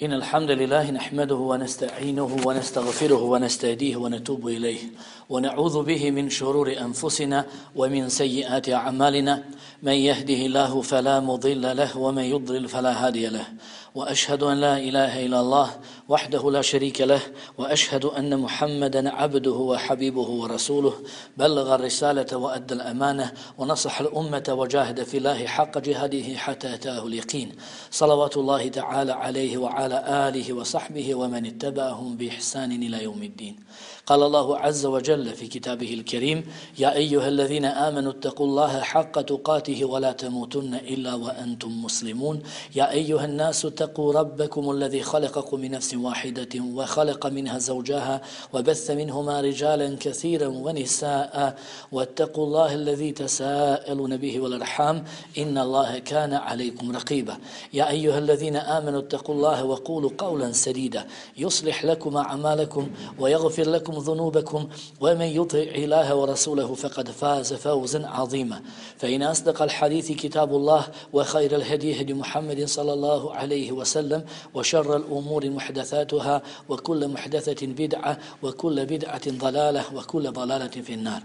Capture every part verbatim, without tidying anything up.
إن الحمد لله نحمده ونستعينه ونستغفره ونستهديه ونتوب إليه ونعوذ به من شرور أنفسنا ومن سيئات أعمالنا من يهده الله فلا مضل له ومن يضلل فلا هادي له وأشهد أن لا إله إلا الله وحده لا شريك له وأشهد أن محمدا عبده وحبيبه ورسوله بلغ الرسالة وأدى الأمانة ونصح الأمة وجاهد في الله حق جهاده حتى أتاه اليقين صلوات الله تعالى عليه وعلى آله وصحبه ومن اتبعهم بإحسان إلى يوم الدين. قال الله عز وجل في كتابه الكريم: يا أيها الذين آمنوا اتقوا الله حق تقاته ولا تموتن إلا وأنتم مسلمون. يا أيها الناس اتقوا ربكم الذي خلقكم من نفس واحدة وخلق منها زوجها وبث منهما رجالا كثيرا ونساء واتقوا الله الذي تساءلون به والأرحام إن الله كان عليكم رقيبا. يا أيها الذين آمنوا اتقوا الله وقولوا قولا سديدا يصلح لكم أعمالكم ويغفر لكم ذنوبكم ومن يطع الله ورسوله فقد فاز فوزا عظيما. فإن أصدق الحديث كتاب الله وخير الهدي هدي محمد صلى الله عليه وسلم وشر الأمور محدثاتها وكل محدثة بدعة وكل بدعة ضلالة وكل ضلالة في النار.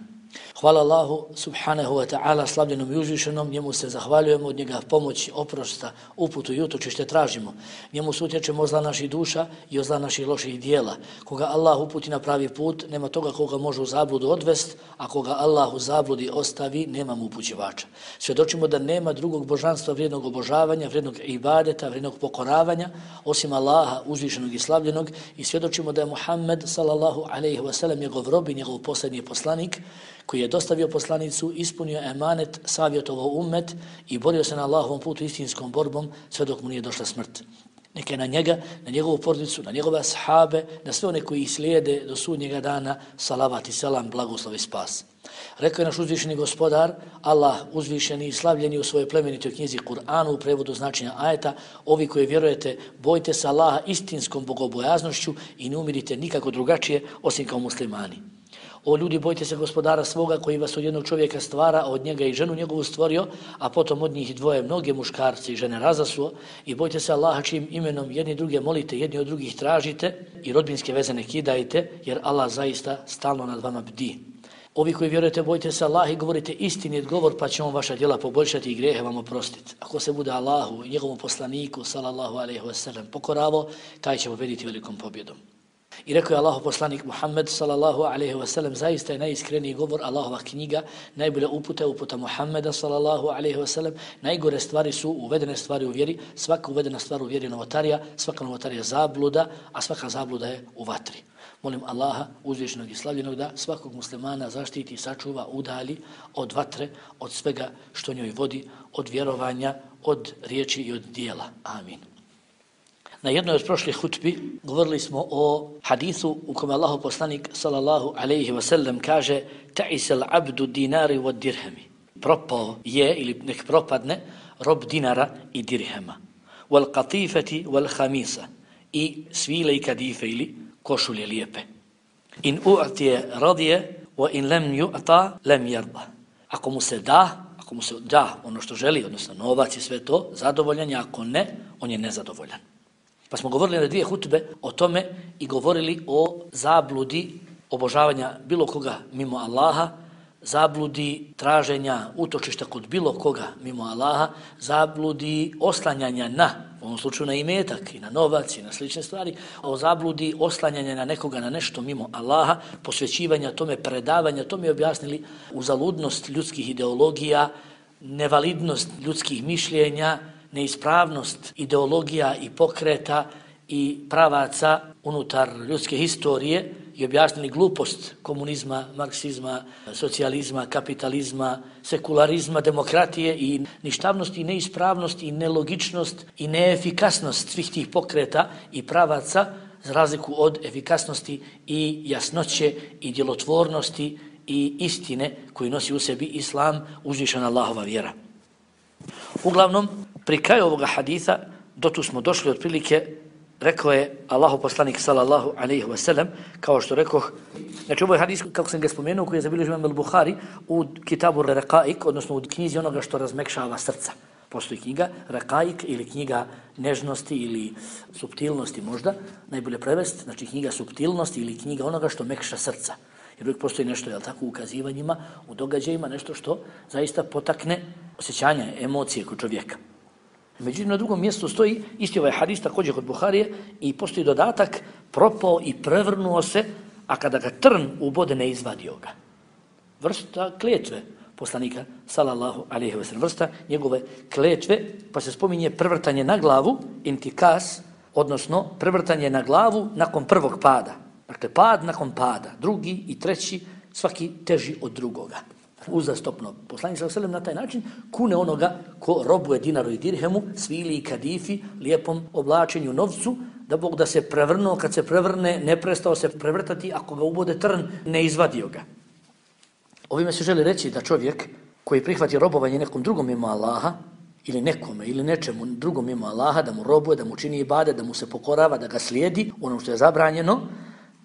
Hvala Allahu subhanahu wa ta'ala, slavljenom i uzvišenom, njemu se zahvaljujemo, od njega pomoć, oprosta, uputu i utočište tražimo. Njemu se utječemo od zla naših duša i od zla naših loših dijela. Koga Allah uputi na pravi put, nema toga koga može u zabludu odvest, a koga Allah u zabludi ostavi, nema mu upućivača. Svjedočimo da nema drugog božanstva, vrijednog obožavanja, vrijednog ibadeta, vrijednog pokoravanja, osim Allaha uzvišenog i slavljenog, i svjedočimo da je Muhammed sallallahu alejhi ve sellem njegov rob i njegov posljednji poslanik, koji je dostavio poslanicu, ispunio emanet, savjetovao ummet i borio se na Allahovom putu istinskom borbom sve dok mu nije došla smrt. Neka je na njega, na njegovu porodicu, na njegove ashabe, na sve one koji ih slijede do sudnjega dana, salavat i selam, blagoslov i spas. Rekao je naš uzvišeni gospodar, Allah uzvišeni i slavljeni u svojoj plemenitoj knjizi Kur'anu u prevodu značenja ajeta: ovi koji vjerujete, bojte se Allaha istinskom bogobojaznošću i ne umirite nikako drugačije osim kao muslimani. O ljudi, bojte se gospodara svoga koji vas od jednog čovjeka stvara, a od njega i ženu njegovu stvorio, a potom od njih dvoje mnoge muškarce i žene razasuo, i bojte se Allaha čijim imenom jedni druge molite, jedni od drugih tražite i rodbinske veze ne kidajte, jer Allah zaista stalno nad vama bdi. Ovi koji vjerujete, bojte se Allaha i govorite istinit govor, pa će on vaša djela poboljšati i grijehe vam oprostiti. Ako se bude Allahu i njegovom poslaniku sallallahu alejhi ve sellem pokoravo, taj će pobjediti velikom pobjedom. I rekao je Allahov poslanik Muhammed sallallahu alejhi ve sellem: zaista je najiskreniji govor Allahova knjiga, najbolja uputa je uputa Muhammeda sallallahu alejhi ve sellem, najgore stvari su uvedene stvari u vjeri, svaka uvedena stvar u vjeri je novotarija, svaka novotarija zabluda, a svaka zabluda je u vatri. Molim Allaha uzvišenog i slavljenog da svakog muslimana zaštiti, sačuva, udalji od vatre, od svega što njoj vodi, od vjerovanja, od riječi i od dijela. Amin. Na jednoj od prošlih hutbi govorili smo o hadisu u kome Allahov poslanik sallallahu alejhi ve sellem kaže: ta'isal abdu dinari wa dirhami. Propao je ili nek propadne rob dinara i dirhema. Wal qatifati wal khamisa. I svile i kadife ili košulje lijepe. In u'tiye radije wa in lam yu'ta lam yarda. Ako mu se da, ako mu se da ono što želi, odnosno novac i sve to, zadovoljan je, ako ne, on je nezadovoljan. Pa smo govorili na dvije hutbe o tome i govorili o zabludi obožavanja bilo koga mimo Allaha, zabludi traženja utočišta kod bilo koga mimo Allaha, zabludi oslanjanja na, u ovom slučaju na imetak i na novac i na slične stvari, o zabludi oslanjanja na nekoga, na nešto mimo Allaha, posvećivanja tome, predavanja tome, objasnili uzaludnost ljudskih ideologija, nevalidnost ljudskih mišljenja, neispravnost ideologija i pokreta i pravaca unutar ljudske historije i objasnili glupost komunizma, marksizma, socijalizma, kapitalizma, sekularizma, demokratije i ništavnost i neispravnost i nelogičnost i neefikasnost svih tih pokreta i pravaca, za razliku od efikasnosti i jasnoće i djelotvornosti i istine koju nosi u sebi islam, uzvišena Allahova vjera. Uglavnom, pri kraju ovoga haditha, do tu smo došli otprilike, rekao je Allahov poslanik sallallahu alejhi ve sellem, kao što rekoh, znači ovo je hadis, kako sam ga spomenuo, koji je zabilježio imam al-Buhari u Kitabu Raqa'iq, odnosno u knjizi onoga što razmekšava srca. Postoji knjiga Rakaik ili knjiga nežnosti ili suptilnosti možda, najbolje prevesti, znači knjiga suptilnosti ili knjiga onoga što mekša srca. Jer uvijek postoji nešto, jel tako, u ukazivanjima, u događajima, nešto što zaista potakne osjećanja, emocije kod čovjeka. Međutim, na drugom mjestu stoji isti ovaj hadis također kod Buharije i postoji dodatak propao i prevrnuo se, a kada ga trn ubode ne izvadio ga. Vrsta kletve poslanika sallallahu alejhi ve sellem, vrsta njegove kletve, pa se spominje prevrtanje na glavu, intikas, odnosno prevrtanje na glavu nakon prvog pada. Dakle, pad nakon pada, drugi i treći, svaki teži od drugoga. Uzastopno. Poslanik sallallahu alejhi ve sellem na taj način kune onoga ko robuje dinaru i dirhemu, svili i kadifi, lijepom oblačenju novcu, da Bog da se prevrnuo, kad se prevrne, ne prestao se prevrtati, ako ga ubode trn, ne izvadio ga. Ovime se želi reći da čovjek koji prihvati robovanje nekom drugom mimo Allaha, ili nekome, ili nečemu drugom mimo Allaha, da mu robuje, da mu čini ibade, da mu se pokorava, da ga slijedi, ono što je zabranjeno,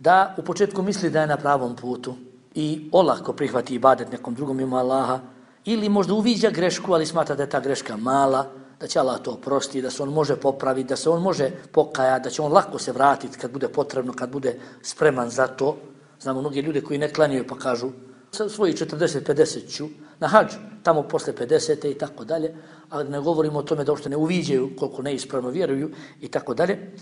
da u početku misli da je na pravom putu i olako prihvati ibadet nekom drugom mimo Allaha, ili možda uviđa grešku, ali smatra da je ta greška mala, da će Allah to oprosti, da se on može popraviti, da se on može pokajati, da će on lako se vratiti kad bude potrebno, kad bude spreman za to. Znamo mnogi ljude koji ne klanjaju pa kažu sa svojih četrdeset pedeset ću na hadž, tamo posle pedesete i tako dalje, ali ne govorimo o tome da uopšte ne uviđaju koliko neispravno vjeruju i tako dalje.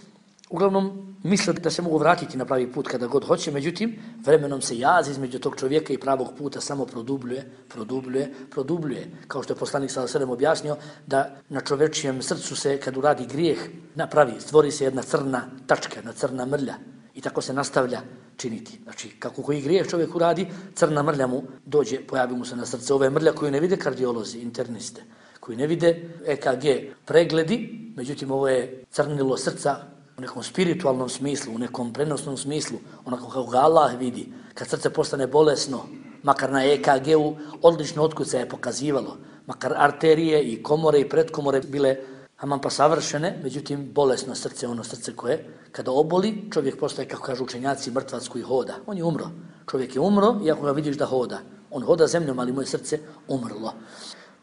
Uglavnom, misle da se mogu vratiti na pravi put kada god hoće, međutim, vremenom se jaz između tog čovjeka i pravog puta samo produbljuje, produbljuje, produbljuje. Kao što je poslanik sallallahu alejhi ve sellem objasnio da na čovječijem srcu se, kad uradi grijeh, napravi, stvori se jedna crna tačka, jedna crna mrlja i tako se nastavlja činiti. Znači, kako koji grijeh čovjek uradi, crna mrlja mu dođe, pojavi mu se na srce. Ove mrlja koju ne vide kardiolozi, interniste, koji ne vide E K G pregledi, međutim, ovo je crnilo srca u nekom spiritualnom smislu, u nekom prenosnom smislu, onako kako ga Allah vidi. Kad srce postane bolesno, makar na E K G-u odlično otkuca je pokazivalo, makar arterije i komore i predkomore bile aman pa savršene, međutim bolesno srce, ono srce koje kada oboli, čovjek postaje, kako kažu učenjaci, mrtvac koji hoda. On je umro. Čovjek je umro, iako ga vidiš da hoda. On hoda zemljom, ali moje srce umrlo.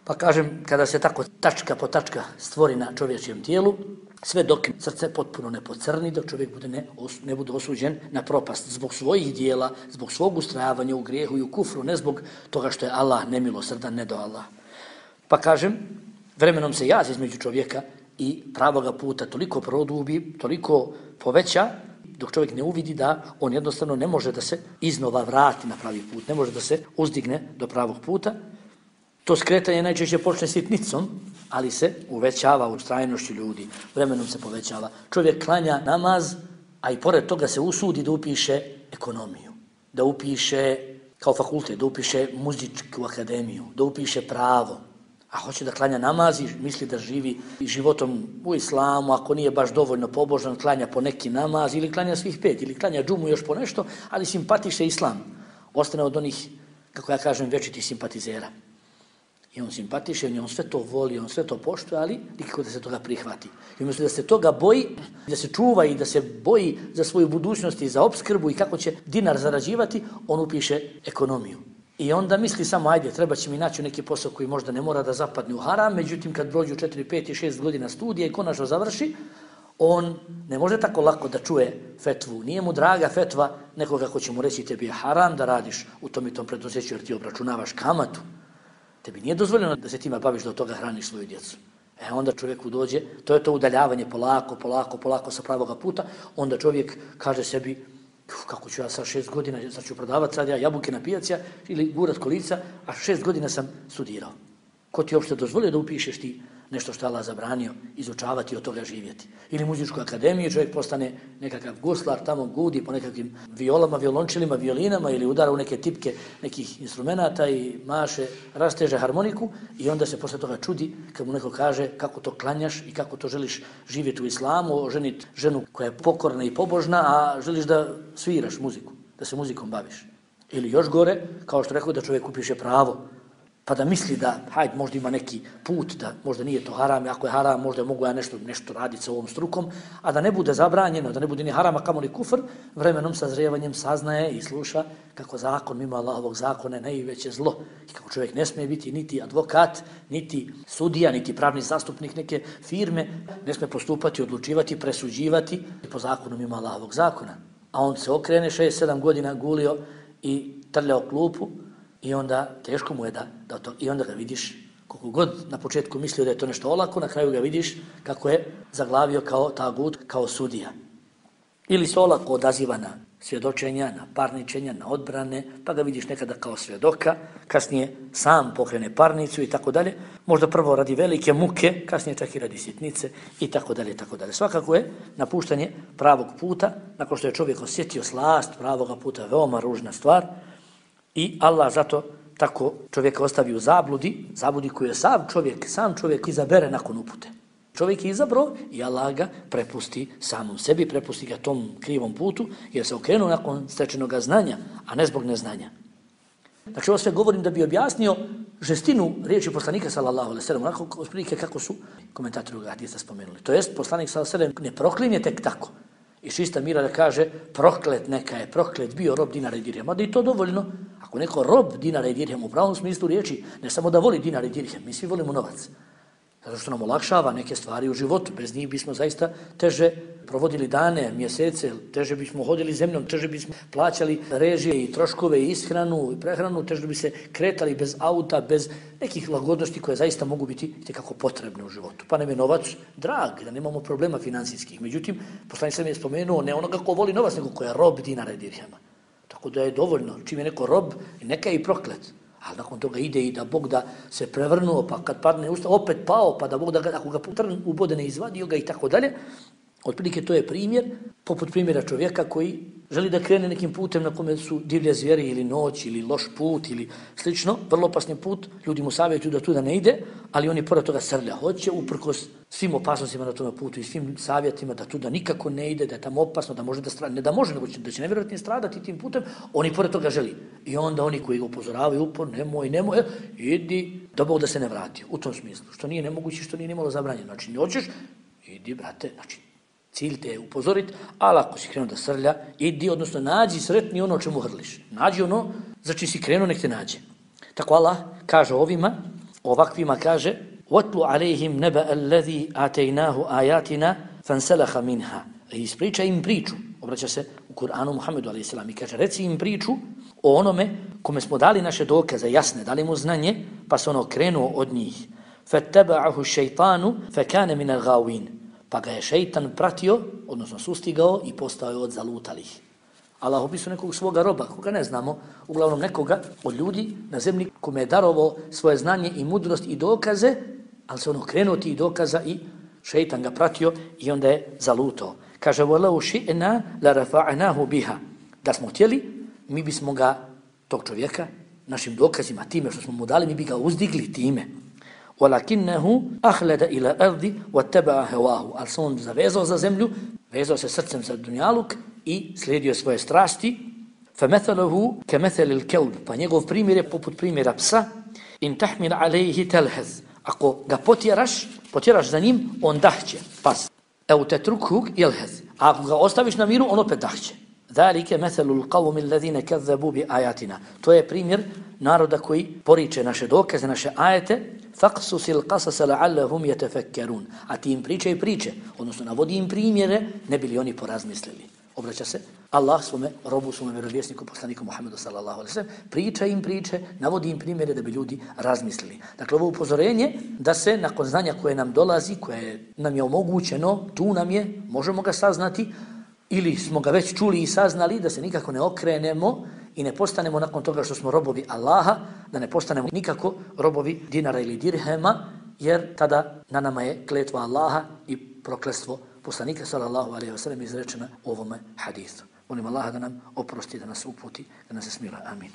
Pa kažem, kada se tako tačka po tačka stvori na čovječijem tijelu, sve dok srce potpuno ne pocrni, dok čovjek bude ne, os, ne bude osuđen na propast zbog svojih dijela, zbog svog ustrajavanja u grijehu i u kufru, ne zbog toga što je Allah nemilosrdan, ne do Allah. Pa kažem, vremenom se jaz između čovjeka i pravoga puta toliko produbi, toliko poveća, dok čovjek ne uvidi da on jednostavno ne može da se iznova vrati na pravi put, ne može da se uzdigne do pravog puta. To skretanje najčešće počne sitnicom, ali se uvećava u trajnošću ljudi, vremenom se povećava. Čovjek klanja namaz, a i pored toga se usudi da upiše ekonomiju, da upiše kao fakultet, da upiše muzičku akademiju, da upiše pravo, a hoće da klanja namaz i misli da živi životom u islamu, ako nije baš dovoljno pobožan, klanja po neki namaz ili klanja svih pet, ili klanja džumu još po nešto, ali simpatiše islam. Ostane od onih, kako ja kažem, večitih simpatizera. I on simpatiše, on sve to voli, on sve to poštuje, ali nikako da se toga prihvati. I umjesto da se toga boji, da se čuva i da se boji za svoju budućnost i za opskrbu i kako će dinar zarađivati, on upiše ekonomiju. I onda misli samo, ajde, treba će mi naći neki posao koji možda ne mora da zapadne u haram, međutim kad prođu četiri, pet i šest godina studija i konačno završi, on ne može tako lako da čuje fetvu. Nije mu draga fetva nekoga ko će mu reći tebi je haram da radiš u tom i tom preduzeću jer ti obračunavaš kamatu. Tebi nije dozvoljeno da se tima baviš da od toga hraniš svoju djecu. E onda čovjeku dođe, to je to udaljavanje polako, polako, polako sa pravoga puta, onda čovjek kaže sebi, kako ću ja sa šest godina, sad ću prodavati sad ja jabuke na pijaci ili gurat kolica, a šest godina sam studirao. Ko ti uopšte dozvolio da upišeš ti nešto što je Allah zabranio, izučavati i od toga živjeti? Ili muzičku akademiju, čovjek postane nekakav guslar, tamo gudi po nekakvim violama, violončelima, violinama ili udara u neke tipke nekih instrumenata i maše, rasteže harmoniku i onda se posle toga čudi kad mu neko kaže kako to klanjaš i kako to želiš živjeti u islamu, oženiti ženu koja je pokorna i pobožna, a želiš da sviraš muziku, da se muzikom baviš. Ili još gore, kao što rekao da čovjek upiše pravo, pa da misli da, hajde, možda ima neki put, da možda nije to haram, ako je haram, možda mogu ja nešto, nešto raditi sa ovom strukom, a da ne bude zabranjeno, da ne bude ni haram, a kamoli kufr, vremenom sazrijevanjem saznaje i sluša kako zakon mimo Allahovog zakona je najveće zlo i kako čovjek ne smije biti niti advokat, niti sudija, niti pravni zastupnik neke firme, ne smije postupati, odlučivati, presuđivati po zakonu mimo Allahovog zakona. A on se okrene, šest sedam godina gulio i trljao klupu, i onda teško mu je da, da to, i onda ga vidiš, koliko god na početku mislio da je to nešto olako, na kraju ga vidiš kako je zaglavio kao tagut, kao sudija. Ili se olako odaziva na svjedočenja, na parničenja, na odbrane, pa ga vidiš nekada kao svjedoka, kasnije sam pokrene parnicu i tako dalje, možda prvo radi velike muke, kasnije čak i radi sitnice i tako dalje, tako dalje. Svakako je napuštanje pravog puta, nakon što je čovjek osjetio slast pravoga puta, veoma ružna stvar, i Allah zato tako čovjeka ostavi u zabludi, zabludi koju je sam čovjek, sam čovjek izabere nakon upute. Čovjek je izabrao i Allah ga prepusti samom sebi, prepusti ga tom krivom putu, jer se okrenuo nakon stečenog znanja, a ne zbog neznanja. Znači ovo sve govorim da bi objasnio žestinu riječi poslanika sallallahu alejhi ve sellem, onako otprilike kako su komentatori ovog hadisa spomenuli. To jest poslanik sallallahu alejhi ve sellem ne proklinje tek tako. I čista mira da kaže proklet neka je, proklet bio rob dinara i dirhema. Da i to dovoljno. Ako neko rob dinara i dirhema u pravom smislu riječi, ne samo da voli dinar i dirhem, mi svi volimo novac. Zato što nam olakšava neke stvari u životu. Bez njih bismo zaista teže provodili dane, mjesece, teže bismo hodili zemljom, teže bismo plaćali režije i troškove i ishranu i prehranu, teže bi se kretali bez auta, bez nekih lagodnosti koje zaista mogu biti itekako potrebne u životu. Pa nam je novac drag, da nemamo problema financijskih. Međutim, poslanik sam je spomenuo ne onoga ko voli novac, nego ko je rob dinara i dirhema. Tako da je dovoljno, čim je neko rob, neka je i proklet. Ali nakon toga ide i da Bog da se prevrnuo, pa kad padne usta, opet pao, pa da Bog da ga, ako ga trn ubode ne izvadio ga i tako dalje. Otprilike to je primjer, poput primjera čovjeka koji želi da krene nekim putem na kome su divlje zvijeri ili noć ili loš put ili slično, vrlo opasni put, ljudi mu savjetuju da tu da ne ide, ali on je pored toga srlja. Hoće uprkos svim opasnostima na tom putu i svim savjetima da tu da nikako ne ide, da je tamo opasno, da može da strada, ne da može, nego će, da će nevjerojatno stradati tim putem, on i pored toga želi. I onda oni koji ga upozoravaju upor, nemoj, nemoj, idi, da Bog da se ne vrati. U tom smislu, što nije nemoguće, što nije nimalo zabranjeno. Znači, ne hoćeš, idi, brate, znači, cilj te je upozoriti, ali ako si krenuo da srlja, idi, odnosno nađi sretni ono o čemu hrliš. Nađi ono za čim si krenuo, nek te nađe. Tako Allah kaže ovima, ovakvima kaže وَاتْلُ عَلَيْهِمْ نَبَأَ الَّذِي آتَيْنَاهُ آيَاتِنَا فَانْسَلَخَ مِنْهَا. Ispriča im priču, obraća se u Kur'anu Muhammedu alejhi selam i kaže reci im priču o onome kome smo dali naše dokaze jasne, dali mu znanje, pa se ono krenuo od njih. فَاتَّبَعَهُ الشَّيْطَانُ فَكَانَ مِنَ الْغَاوِينَ. Pa ga je šeitan pratio, odnosno sustigao i postao je od zalutalih. Allah opisuje nekog svoga roba, koga ne znamo, uglavnom nekoga od ljudi na zemlji kome je darovao svoje znanje i mudrost i dokaze, ali se ono krenuo tih dokaza i šeitan ga pratio i onda je zalutao. Kaže, وَلَوْ شِئْنَا لَرَفَعْنَاهُ بِهَا. Da smo htjeli, mi bismo ga, tog čovjeka, našim dokazima, time što smo mu dali, mi bi ga uzdigli time. وَلَكِنَّهُ أَخْلَدَ إِلَى أَرْضِ وَاتَّبَعَ هَوَاهُ. Ali se on zavezao za zemlju, vezao se srcem za dunjaluk i slijedio svoje strasti. فَمَثَلَهُ كَمَثَلِ الْكَلْبِ. Pa njegov primjer je poput primjera psa. إِنْ تَحْمِلْ عَلَيْهِ تَلْهَزْ. Ako ga potjeraš, potjeraš za njim, on dahće, pas. أَوْ تَتْرُكْهُ يَلْهَزْ. A ako ga ostaviš na miru, on opet dahće. ذَلِكَ مَثَلُ الْقَوْمِ الَّذِينَ كَذَّبُوا بِآيَاتِنَا. To je primjer naroda koji poriče naše dokaze, naše ajete. فَقْسُسِ الْقَصَسَ لَعَلَّهُمْ يَتَفَكَّرُونَ. A ti im priče i priče, odnosno navodi im primjere, ne bili oni porazmislili. Obraća se Allah svome robu, svome vjerovjesniku, poslaniku Muhammedu sallallahu alejhi ve sellem, priča im priče, navodi im primjere da bi ljudi razmislili. Dakle, ovo upozorenje da se nakon znanja koje nam dolazi, koje nam je omogućeno, tu nam je, možemo ga saznati, ili smo ga već čuli i saznali, da se nikako ne okrenemo i ne postanemo nakon toga što smo robovi Allaha, da ne postanemo nikako robovi dinara ili dirhema, jer tada na nama je kletva Allaha i prokletstvo poslanika sallallahu alejhi ve sellem izrečena u ovome hadisu. Molim Allaha da nam oprosti, da nas uputi, da nas smila. Amin.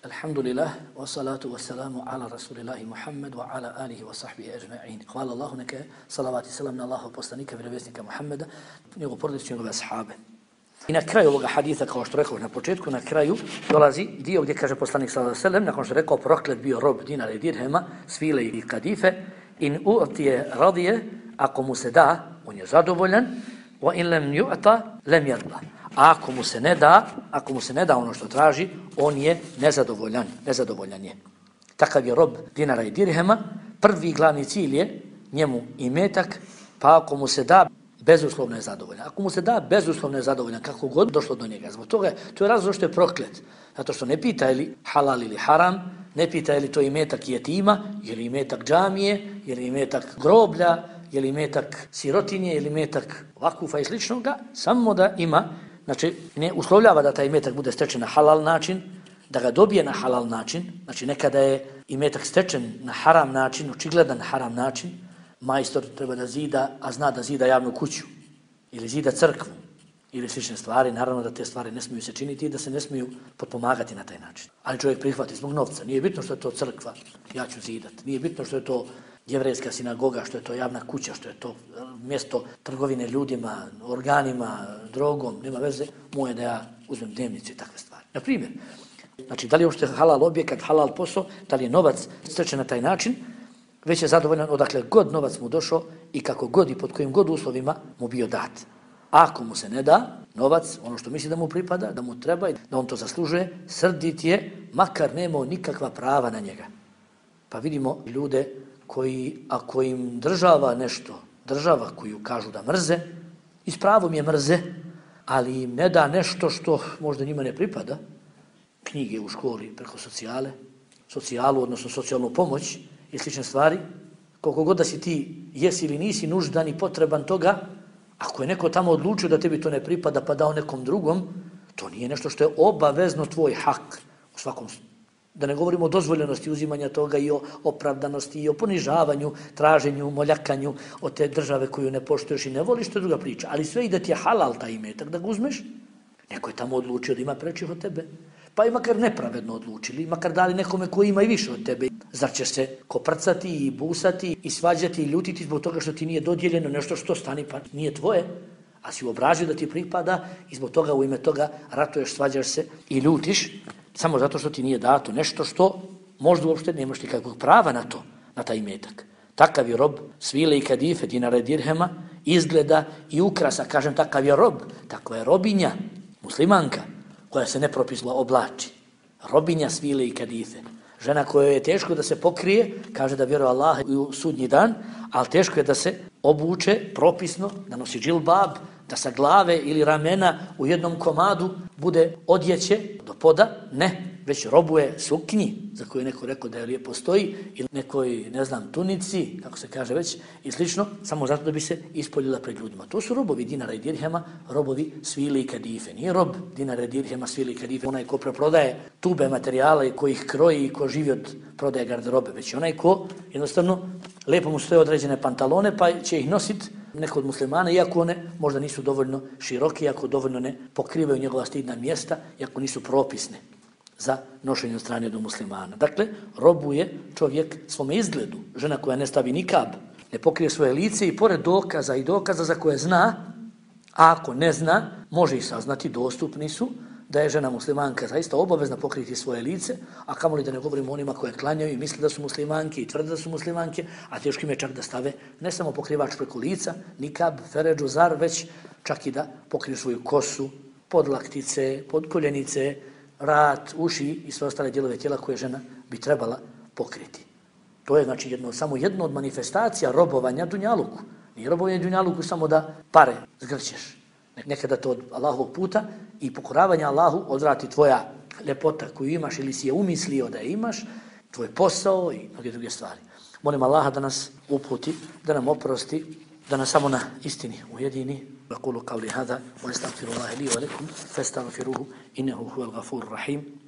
Alhamdulillah, wa salatu wa salamu ala rasulillahi Muhammad wa ala alihi wa sahbihi ajma'in. Hvala Allahu neka salavat i salam na Allahov poslanika, vjerovjesnika Muhammeda, njegov porodicu, njegove ashabe. I na kraju ovoga haditha, kao što rekao na početku, na kraju dolazi dio gdje kaže poslanik sallallahu alejhi ve sellem, nakon što je rekao proklet bio rob dinara i dirhema, svile i kadife, in u'tije radije, ako mu se da, on je zadovoljan, wa in lam yu'ta lam yarda. A ako mu se ne da, ako mu se ne da ono što traži, on je nezadovoljan, nezadovoljan je. Takav je rob dinara i dirhema, prvi glavni cilj je njemu imetak, pa ako mu se da, bezuslovno je zadovoljan. Ako mu se da, bezuslovno je zadovoljan, kako god došlo do njega. Zbog toga, to je razlog što je proklet. Zato što ne pita je li halal ili haram, ne pita je li to imetak jetima, je li imetak džamije, je li imetak groblja, je li imetak sirotinje, je li imetak vakufa i sličnoga, samo da ima, znači ne uslovljava da taj imetak bude stečen na halal način, da ga dobije na halal način, znači nekada je imetak stečen na haram način, očigledan haram način, majstor treba da zida, a zna da zida javnu kuću, ili zida crkvu, ili slične stvari, naravno da te stvari ne smiju se činiti i da se ne smiju potpomagati na taj način. Ali čovjek prihvati zbog novca. Nije bitno što je to crkva, ja ću zidat. Nije bitno što je to jevrejska sinagoga, što je to javna kuća, što je to mjesto trgovine ljudima, organima, drogom, nema veze, moje da ja uzmem dnevnicu i takve stvari. Na primjer, znači da li je uopšte halal objekat, halal posao, da li je novac stečen na taj način, već je zadovoljan odakle god novac mu došao i kako god i pod kojim god uslovima mu bio dat. Ako mu se ne da novac, ono što misli da mu pripada, da mu treba i da on to zaslužuje, srdit je, makar nemao nikakva prava na njega. Pa vidimo ljude koji, ako im država nešto, država koju kažu da mrze, i s pravom je mrze, ali im ne da nešto što možda njima ne pripada, knjige u školi preko socijale, socijalu, odnosno socijalnu pomoć i slične stvari, koliko god da si ti jesi ili nisi nuždan i potreban toga, ako je neko tamo odlučio da tebi to ne pripada pa dao nekom drugom, to nije nešto što je obavezno tvoj hak u svakom slučaju. Da ne govorimo o dozvoljenosti uzimanja toga i o opravdanosti i o ponižavanju, traženju, moljakanju od te države koju ne poštuješ i ne voliš, to je druga priča. Ali sve i da ti je halal taj imetak da ga uzmeš, neko je tamo odlučio da ima prečih od tebe. Pa i makar nepravedno odlučili, makar dali nekome koji ima i više od tebe. Zar će se koprcati i busati i svađati i ljutiti zbog toga što ti nije dodijeljeno nešto što stani pa nije tvoje, a si obražio da ti pripada i zbog toga u ime toga ratuješ, svađaš se i ljutiš samo zato što ti nije dato nešto što možda uopšte nemaš nikakvog prava na to, na taj imetak. Takav je rob svile i kadife, dinara i dirhema, izgleda i ukrasa, kažem takav je rob, takva je robinja, muslimanka, koja se nepropisno oblači. Robinja svile i kadife. Žena kojoj je teško da se pokrije, kaže da vjeruje Allah u sudnji dan, ali teško je da se obuče propisno, da nosi džilbab, da sa glave ili ramena u jednom komadu bude odjeće do poda, ne, već robuje suknji, za koju je neko rekao da je lijepo stoji, ili nekoj, ne znam, tunici, kako se kaže već, i slično, samo zato da bi se ispoljila pred ljudima. To su robovi dinara i dirhema, robovi svile i kadife. Nije rob dinara i dirhema, svile i kadife, onaj ko preprodaje tube materijala i ko ih kroji i ko živi od prodaje garderobe, već onaj ko jednostavno lijepo mu stoje određene pantalone pa će ih nositi neko od muslimana, iako one možda nisu dovoljno široke, iako dovoljno ne pokrivaju njegova stidna mjesta, iako nisu propisne za nošenje od strane do muslimana. Dakle, robuje čovjek svome izgledu. Žena koja ne stavi nikab, ne pokrije svoje lice i pored dokaza i dokaza za koje zna, a ako ne zna, može ih saznati, dostupni su, da je žena muslimanka zaista obavezna pokriti svoje lice, a kamoli da ne govorimo onima koje klanjaju i misle da su muslimanke i tvrde da su muslimanke, a teško im je čak da stave ne samo pokrivač preko lica, nikab, feređu, zar, već čak i da pokriju svoju kosu, podlaktice, podkoljenice, rat, uši i sve ostale dijelove tijela koje žena bi trebala pokriti. To je znači jedno, samo jedno od manifestacija robovanja dunjaluku. Nije robovanje dunjaluku samo da pare zgrćeš. Nekada to od Allahovog puta i pokoravanja Allahu odvrati tvoja ljepota koju imaš ili si je umislio da je imaš, tvoj posao i mnoge druge stvari. Molim Allaha da nas uputi, da nam oprosti, da nas samo na istini ujedini. أقول قولي هذا وأستغفر الله لي ولكم فاستغفروه إنه هو الغفور الرحيم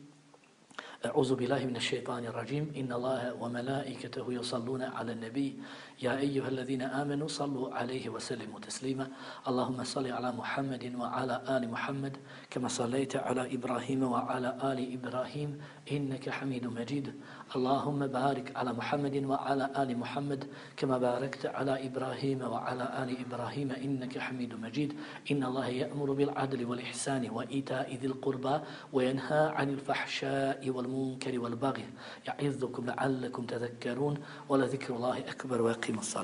أعوذ بالله من الشيطان الرجيم إن الله وملائكته يصلون على النبي يا أيها الذين آمنوا صلوا عليه وسلموا تسليما اللهم صل على محمد وعلى آل محمد كما صليت على إبراهيم وعلى آل إبراهيم إنك حميد مجيد اللهم بارك على محمد وعلى آل محمد كما باركت على إبراهيم وعلى آل إبراهيم إنك حميد مجيد إن الله يأمر بالعدل والإحسان وإيتاء ذي القربى وينهى عن الفحشاء والمنكر والبغي يعظكم لعلكم تذكرون ولذكر الله أكبر ويقيم الصلاة